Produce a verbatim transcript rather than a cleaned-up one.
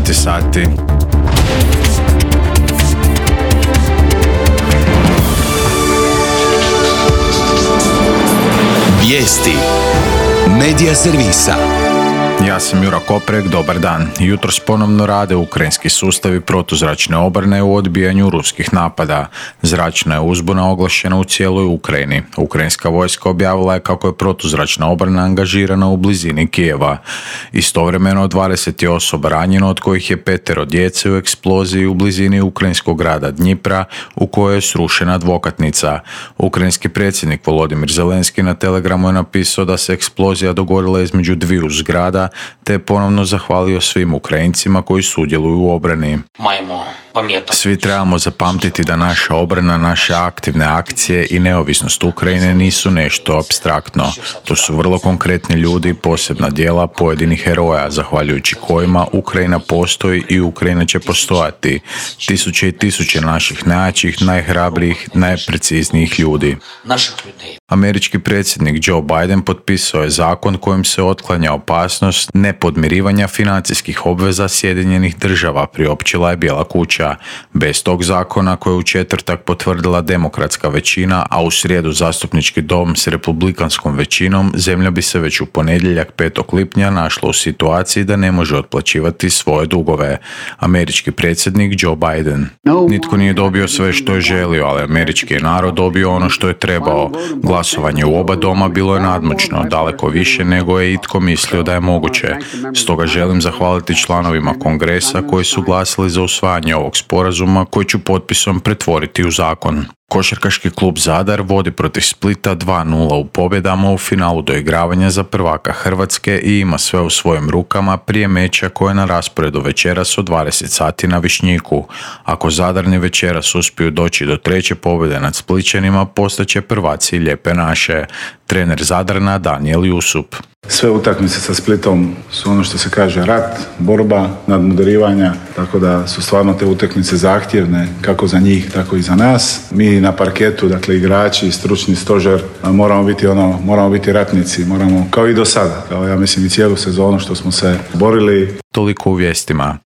dvanaest sati. Vijesti Medija servisa. Ja sam Jura Koprek, dobar dan. Jutros ponovno rade ukrajinski sustavi protuzračne obrane u odbijanju ruskih napada. Zračna je uzbuna oglašena u cijeloj Ukrajini. Ukrajinska vojska objavila je kako je protuzračna obrana angažirana u blizini Kijeva. Istovremeno dvadeset je osoba ranjeno, od kojih je petero djece u eksploziji u blizini ukrajinskog grada Dnjipra, u kojoj je srušena advokatnica. Ukrajinski predsjednik Volodimir Zelenski na Telegramu je napisao da se eksplozija dogodila između dviju zgrada, te je ponovno zahvalio svim Ukrajincima koji sudjeluju u obrani. Svi trebamo zapamtiti da naša obrana, naše aktivne akcije i neovisnost Ukrajine nisu nešto apstraktno. To su vrlo konkretni ljudi, posebna djela pojedinih heroja, zahvaljujući kojima Ukrajina postoji i Ukrajina će postojati. Tisuće i tisuće naših najjačih, najhrabrijih, najpreciznijih ljudi. Američki predsjednik Joe Biden potpisao je zakon kojim se otklanja opasnost nepodmirivanja financijskih obveza Sjedinjenih država, priopćila je Bijela kuća. Bez tog zakona, koje je u četvrtak potvrdila demokratska većina, a u srijedu zastupnički dom s republikanskom većinom, zemlja bi se već u ponedjeljak petog lipnja našla u situaciji da ne može otplaćivati svoje dugove. Američki predsjednik Joe Biden. Nitko nije dobio sve što je želio, ali američki je narod dobio ono što je trebao. Glasovanje u oba doma bilo je nadmoćno, daleko više nego je itko mislio da je moguće. Stoga želim zahvaliti članovima Kongresa koji su glasili za usvajanje ovog sporazuma koji ću potpisom pretvoriti u zakon. Košarkaški klub Zadar vodi protiv Splita dva nula u pobjedama u finalu doigravanja za prvaka Hrvatske i ima sve u svojim rukama prije meča koje je na rasporedu večeras od dvadeset sati na Višnjiku. Ako Zadarni večeras uspiju doći do treće pobjede nad Splićanima, postaće prvaci Lijepe naše. Trener Zadrana Danijel Jusup. Sve utakmice sa Splitom su ono što se kaže rat, borba, nadmudarivanja, tako da su stvarno te utakmice zahtjevne kako za njih, tako i za nas. Mi na parketu, dakle igrači, stručni stožer, moramo biti ono, moramo biti ratnici, moramo kao i do sada, kao ja mislim i cijelu sezonu što smo se borili. Toliko u vijestima.